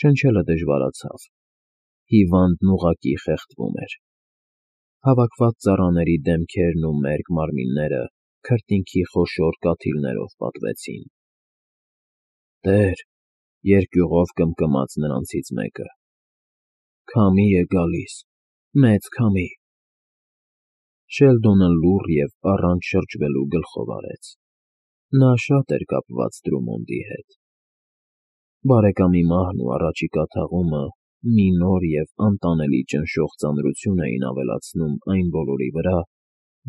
Շնչելը դժվարացավ։ Հիվանդն ուղղակի խեղդվում էր։ Հավաքված ծառաների դեմքերն ու մերկ մարմինները քրտինքի խոշոր կաթիլներով պատվեցին։ «Տեր,֊ երկյուղով կմկմաց նրանցից մեկը,֊ քամի է գալիս, մեծ քամի»։ Շելդոնը լուռ և առանց շրջվելու գլխով արեց։ Նա շատ էր կապված Տրումոնդի հետ։ Բարեկամի մահն ու առաջիկա թաղումը մի նոր և անտանելի ճնշող ծանրություն էին ավելացնում այն բոլորի վրա,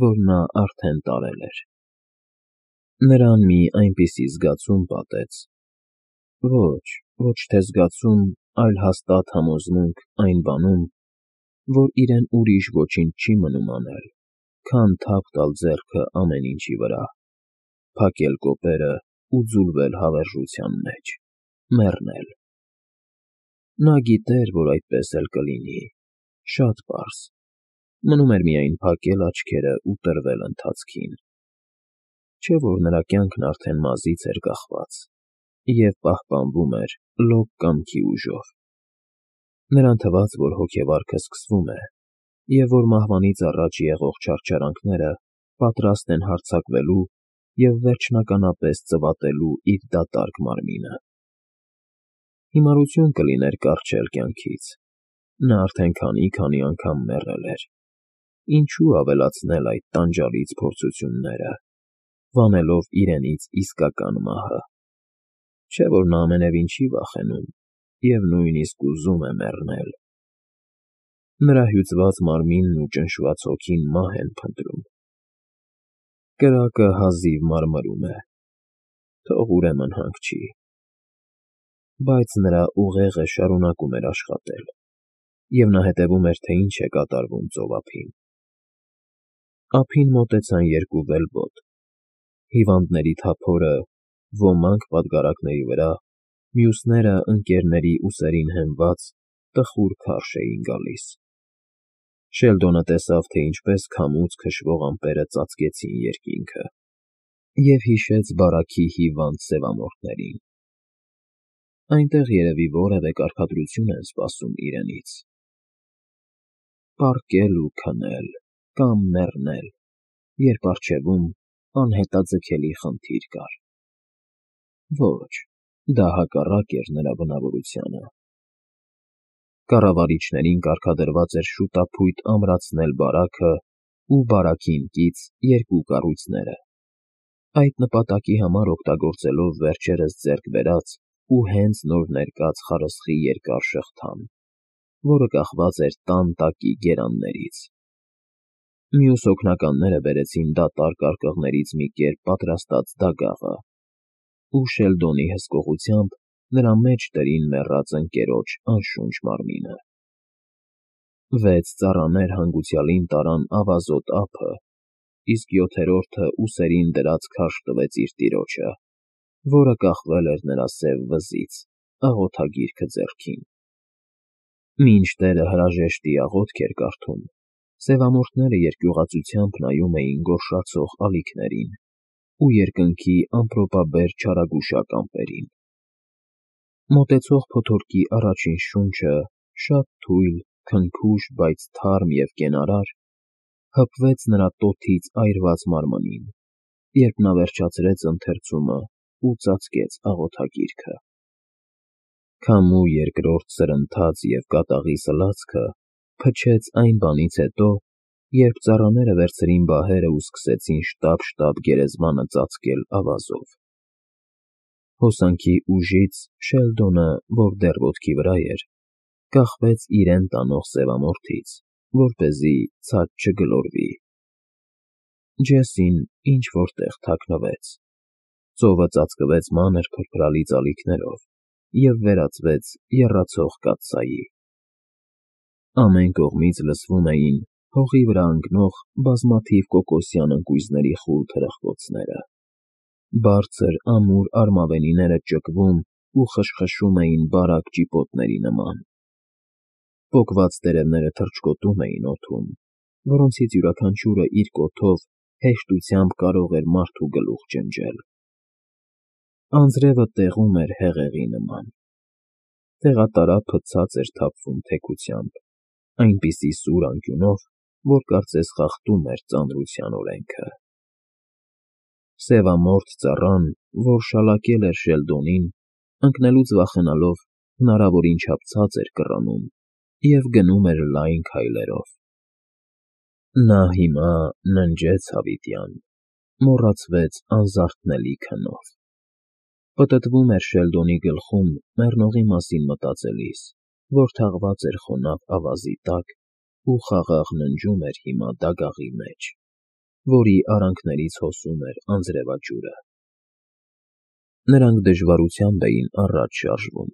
որ նա արդեն տարել էր։ Նրան մի այնպիսի զգացում պատեց, ոչ թե զգացում, այլ հաստատ համոզմունք այն բանում, որ իրեն ուրիշ ոչինչ չի մնում անել, քան թափ տալ ձեռքը ամեն ինչի վրա, փակել կոպերը ու ձուլվել հավերժության մեջ, մեռնել։ Նա գիտեր, որ այդպես էլ կլինի, շատ պարզ, մնում էր միայն փակել աչքերը ու տրվել ընթացքին։ Չէ՞ որ նրա կյանքն արդեն մազից էր կախված և պահպանվում էր լոկ կամքի ուժով։ Նրան թվաց, որ հոգեվարքը սկսվում է, և որ մահվանից առաջ եղող չարչարանքները պատրաստ են հարձակվելու և վերջնականապես ծվատելու իր դատարկ մարմինը։ Հիմարություն կլիներ կառչել կյանքից։ Նա արդեն քանի անգամ մեռել էր։ Ինչու ավելացնել այդ տանջալից փորձությունները, վանելով իրենից իսկական մահը։ Չէ՞ որ նա ամենևին չի վախենում և նույնիսկ ուզում է մեռնել։ Նրա հյուծված մարմինն ու ճնշված հոգին մահ են փնտրում։ Կրակը հազիվ մարմրում է, թող ուրեմն հանգչի։ Բայց նրա ուղեղը շարունակում էր աշխատել, և նա հետևում էր, թե ինչ է կատարվում ծովափին։ Ափին մոտեցան երկու վելբոտ։ Հիվանդների թափորը, ոմանք պատգարակների վրա, մյուսները ընկերների ուսերին հենված, տխուր քարշ էին գալիս։ Շելդոնը տեսավ, թե ինչպես քամուց քշվող ամպերը ծածկեցին երկինքը, և հիշեց բարաքի հիվանդ սևամորթներին։ Այնտեղ երևի որևէ կարգադրություն են սպասում իրենից։ Պառկել ու քնել կամ մեռնել, երբ առջևում անհետաձգելի խնդիր կար։ Ոչ, դա հակառակ էր նրա բնավորությանը։ Կառավարիչներին կարգադրված էր շուտափույթ ամրացնել բարաքը ու բարաքին կից երկու կառույցները, այդ նպատակի համար օգտագործելով վերջերս ձեռք բերած ու հենց նոր ներկած խարսխի երկար շղթան, որը կախված էր տան տակի գերաններից։ Մյուս օգնականները բերեցին դատարկ արկղներից մի կերպ պատրաստած դագաղը, ու Շելդոնի հսկողությամբ նրա մեջ դրին մեռած ընկերոջ անշունչ մարմինը։ 6 ծառաներ հանգուցյալին տարան ավազոտ ափը, իսկ 7-րդը ուսերին դրած քարշ տվեց իր տիրոջը, որը կախվել էր նրա սև վզից, աղոթագիրքը ձեռքին։ Մինչ տերը հրաժեշտի աղոթք էր կարդում, սևամորթները երկյուղածությամբ նայում էին գորշացող ալիքներին ու երկնքի ամպրոպաբեր չարագուշակ ամպերին։ Մոտեցող փոթորկի առաջին շունչը, շատ թույլ, քնքուշ, բայց թարմ և կենարար, հպվեց նրա տոթից այրված մարմնին, երբ նա վերջացրեց ընթերցումը ու ծածկեց աղոթագիրքը։ Քամու երկրորդ սրընթաց և կատաղի սլացքը փչեց այն բանից հետո, երբ ծառաները վերցրին բահերը ու սկսեցին շտապ գերեզմանը ծածկել ավազով։ Հոսանքի ուժից Շելդոնը, որ դեռ ոտքի վրա էր, կախվեց իրեն տանող սևամորթից, որպեսզի ցած չգլորվի։ Ջեսին ինչ֊որ տեղ թաքնվեց։ Ծովը ծածկվեց մանր փրփրալի ծալիքներով և վերածվեց եռացող կաթսայի։ Ամեն կողմից լսվում էին հողի վրա ընկնող բազմաթիվ կոկոսյան ընկույզների խուլ թրխկոցները։ Բարձր, ամուր արմավենիները ճկվում ու խշխշում էին բարակ ճիպոտների նման։ Պոկված տերևները թռչկոտում էին օդում, որոնցից յուրաքանչյուրը իր կոթով հեշտությամբ կարող էր մարդու գլուխ ջնջել։ Անձրևը տեղում էր հեղեղի նման։ Տեղատարափը ցած էր թափվում թեքությամբ, այնպիսի սուր անկյունով, որ կարծես խախտում էր ծանրության օրենքը։ Սևամորթ ծառան, որ շալակել էր Շելդոնին, ընկնելուց վախենալով, հնարավորին չափ ցած էր կռանում և գնում էր լայն քայլերով։ Նա հիմա ննջեց հավիտյան, մոռացվեց անզարթնելի քնով։ Պտտվում էր Շելդոնի գլխում մեռնողի մասին մտածելիս, որ թաղված էր խոնավ ավազի տակ ու խաղաղ ննջում էր հիմա դագաղի մեջ, որի արանքներից հոսում էր անձրևաջուրը։ Նրանք դժվարությամբ էին առաջ շարժվում։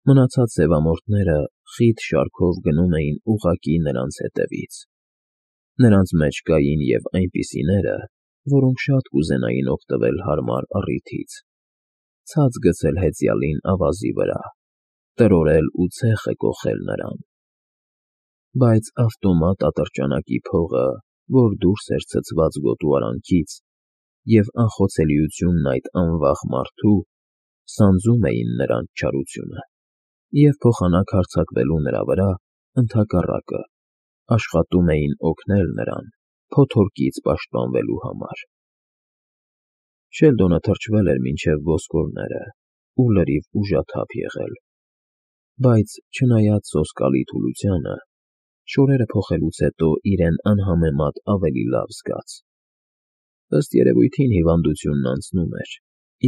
Մնացած սևամորթները խիտ շարքով գնում էին ուղղակի նրանց հետևից։ Նրանց մեջ կային և այնպիսիները, որոնք շատ կուզենային օգտվել հարմար առիթից, ցած գցել հեծյալին ավազի վրա, տրորել ու ցեխը կոխել նրան։ Բայց ավտոմատ ատրճանակի փողը, որ դուրս էր ցցված գոտու արանքից, և անխոցելիությունն այդ անվախ մարդու, սանձում էին նրանց չարությունը և փոխանակ հարձակվելու նրա վրա, ընդհակառակը, աշխատում էին օգնել նրան փոթորկից պաշտպանվելու համար։ Շելդոնը թրջվել էր մինչև ոսկորները ու լրիվ ուժաթափ եղել, բայց, չնայած սոսկալի թուլությանը, շորերը փոխելուց հետո իրեն անհամեմատ ավելի լավ զգաց։ Ըստ երևույթին հիվանդությունն անցնում էր,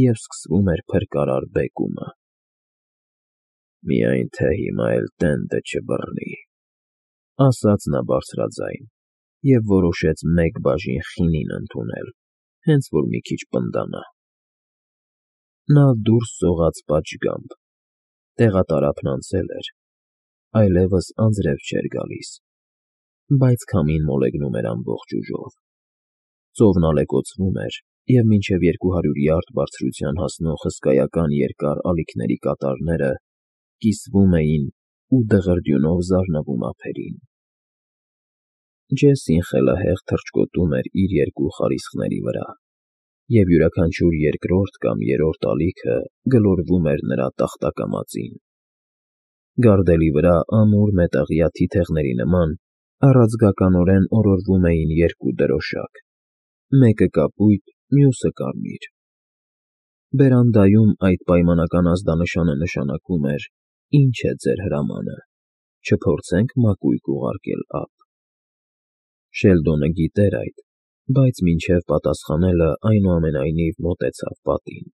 և սկսվում էր փրկարար բեկումը։ «Միայն թե հիմա էլ տենդը չբռնի», ասաց նա բարձրաձայն և որոշեց մեկ բաժին խինին ընդունել, հենց որ մի քիչ պնդանա։ Նա դուրս սողաց պատշգամբ։ Տեղատարափն անցել էր, այլևս անձրև չէր գալիս, բայց քամին մոլեգնում էր ամբողջ ուժով։ Ծովն ալեկոծվում էր, և մինչև 200 յարդ բարձրության հասնող հսկայական երկար ալիքների կատարները կիսվում էին ու դղրդյունով զարնվում ափերին։ Ջեսին խելահեղ թռչկոտում էր իր երկու խարիսխների վրա, և յուրաքանչյուր երկրորդ կամ երրորդ ալիքը գլորվում էր նրա տախտակամածին։ Գարդելի վրա ամուր մետաղյա թիթեղների նման առաձգականորեն օրորվում էին երկու դրոշակ, մեկը կապույտ, մյուսը կարմիր։ Բերանդայում այդ պայմանական ազդանշանը նշանակում էր. «Ինչ է ձեր հրամանը, չփորձենք մակույկ ուղարկել ապ»։ Շելդոնը գիտեր այդ, բայց մինչև պատասխանելը այնուամենայնիվ մոտեցավ պատին,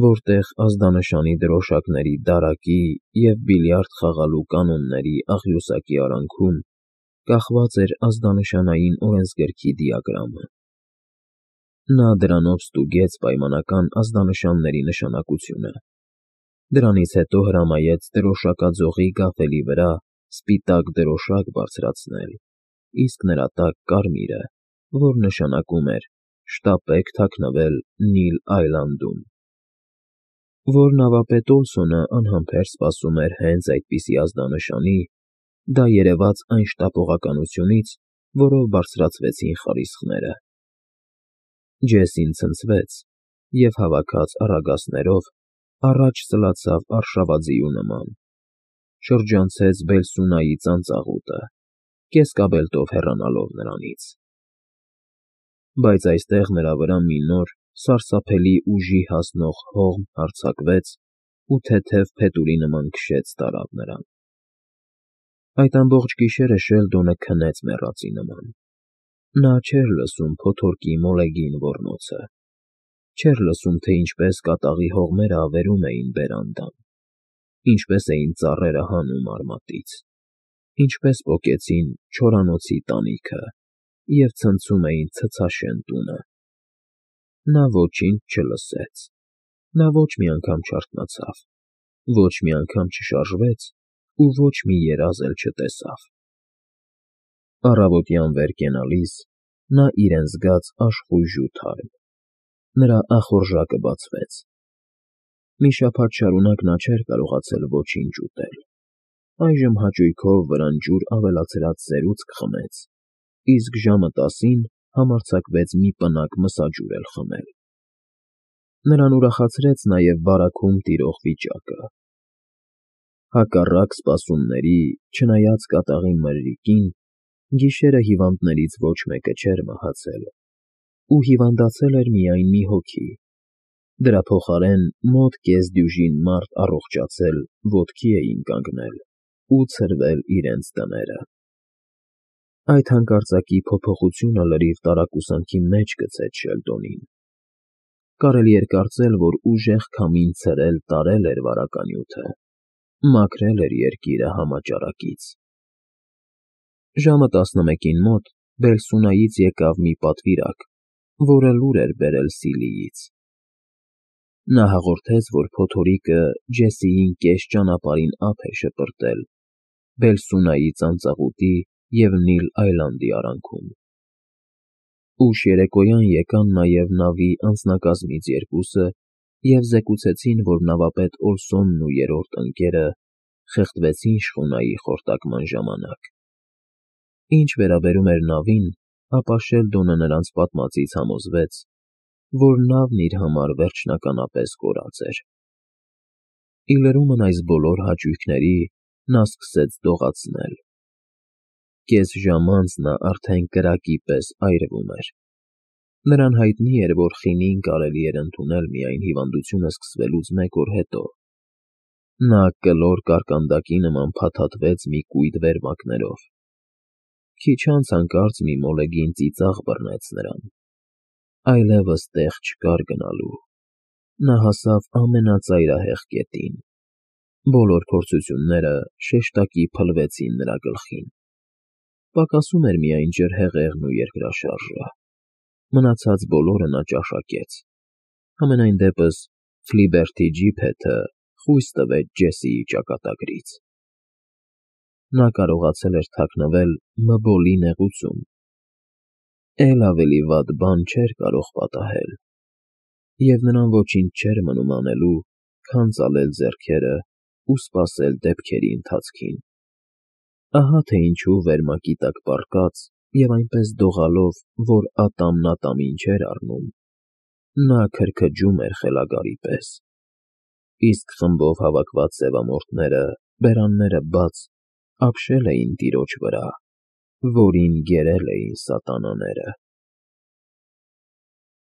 որտեղ ազդանշանի դրոշակների դարակի և բիլիարդ խաղալու կանոնների աղյուսակի արանքում կախված էր ազդանշանային օրենսգրքի դիագրամը։ Նա դրանով ստուգեց պայմանական ազդանշանների նշանակությունը։ Դրանից հետո հրամայեց դրոշակաձողի գավելի վրա սպիտակ դրոշակ բարձրացնել, իսկ նրա տակ կարմիրը, որ նշանակում էր «Շտապեք թաքնվել Նիլ Այլանդում»։ Որ նավապետ Օլսոնը անհամբեր սպասում էր հենց այդպիսի ազդանշանի, դա երևաց այն շտապողականությունից, որով բարձրացվեցին խարիսխները։ Ջեսին ցնցվեց և, հավաքած առագասներով, առաջ սլացավ արշավաձիու նման, շրջանցեց Բելսունայի ծանծաղուտը, կեսկաբելտով հեռանալով նրանից։ Բայց այստեղ նրա վրա մի նոր, սարսափելի ուժի հասնող հողմ հարձակվեց ու թեթև փետուրի նման քշեց տարավ նրան։ Այդ ամբողջ գիշերը Շելդոնը քնեց մեռածի նման։ Նա չէր լսում փոթորկի մոլեգին ոռնոցը, չէր լսում, թե ինչպես կատաղի հողմերը ավերում էին բերանդան, ինչպես էին ծառերը հանում արմատից, ինչպես պոկեցին չորանոցի տանիքը և ցնցում էին ցցաշեն տունը։ Նա ոչինչ չլսեց, նա ոչ մի անգամ չարթնացավ, ոչ մի անգամ չշարժվեց ու ոչ մի երազ էլ չտեսավ։ Առավոտյան վեր կենալիս նա իրեն զգաց աշխույժ ու թարմ։ Նրա ախորժակը բացվեց։ Մի շաբաթ շարունակ նա չէր կարողացել ոչինչ ուտել։ Այժմ հաճույքով վրան ջուր ավելացրած սերուցք խմեց, իսկ ժամը 10-ին համարձակվեց մի պնակ մսաջուր էլ խմել։ Նրան ուրախացրեց նաև բարաքում տիրող վիճակը։ Հակառակ սպասումների, չնայած կատաղի մրրիկին, գիշերը հիվանդներից ոչ մեկը չէր մահացել, ու հիվանդացել էր միայն մի հոգի. դրա փոխարեն մոտ կեսդյուժին մարդ առողջացել ոտքի էին կանգնել ու ցրվել իրենց տները։ Այդ հանկարծակի փոփոխությունը լրիվ տարակուսանքի մեջ գցեց Շելդոնին։ Կարելի էր կարծել, որ ուժեղ քամին ցրել տարել էր վարականյութը, մաքրել էր երկիրը համաճարակից։ Ժամը 11-ին մոտ Բելսունայից եկավ մի պատվիրակ, որը լուր էր բերել Սիլիից։ Նա հաղորդեց, որ փոթորիկը Ջեսիին կես ճանապարհին ափ է շպրտել Բելսունայի ծանծաղուտի և Նիլ Այլանդի արանքում։ Ուշ երեկոյան եկան նաև նավի անձնակազմից երկուսը և զեկուցեցին, որ նավապետ Օլսոնն ու երրորդ ընկերը խեղդվեցին շխունայի խորտակման ժամանակ։ Ինչ վերաբերում էր նավին, ապա Շելդոնը նրանց պատմածից համոզվեց, որ նավն իր համար վերջնականապես կորած էր։ Ի լրումն այս բոլոր հաճույքների նա սկսեց դողացնել։ Կես ժամ անց նա արդեն կրակի պես այրվում էր։ Նրան հայտնի էր, որ խինին կարելի էր ընդունել միայն հիվանդությունը սկսվելուց մեկ օր հետո։ Նա կլոր կարկանդակի նման փաթաթվեց մի կույտ վերմակներով։ Քիչ անց հանկարծ մի մոլեգին ծիծաղ բռնեց նրան։ Այլևս տեղ չկար գնալու։ Նա հասավ ամենածայրահեղ կետին։ Բոլոր փորձությունները շեշտակի փլվեցին նրա գլխին։ Պակասում էր միայն ջրհեղեղն ու երկրաշարժը։ Մնացած բոլորը նա ճաշակեց։ Համենայն դեպս Ֆլիբերթի ջիփեթը խույս տվեց Ջեսիի ճակատագրից։ Նա կարողացել էր թաքնվել Մբոլի նեղուցում։ Էլ ավելի վատ բան չէր կարող պատահել, և նրան ոչինչ չէր մնում անելու, քան ծալել ձեռքերը ու սպասել դեպքերի ընթացքին։ Ահա թե ինչու վերմակի տակ պառկած և այնպես դողալով, որ ատամն ատամին չէր առնում, նա քրքջում էր խելագարի պես, իսկ խմբով հավաքված սևամորթները, բերանները բաց, ապշել էին տիրոջ վրա, որին գերել էին սատանաները։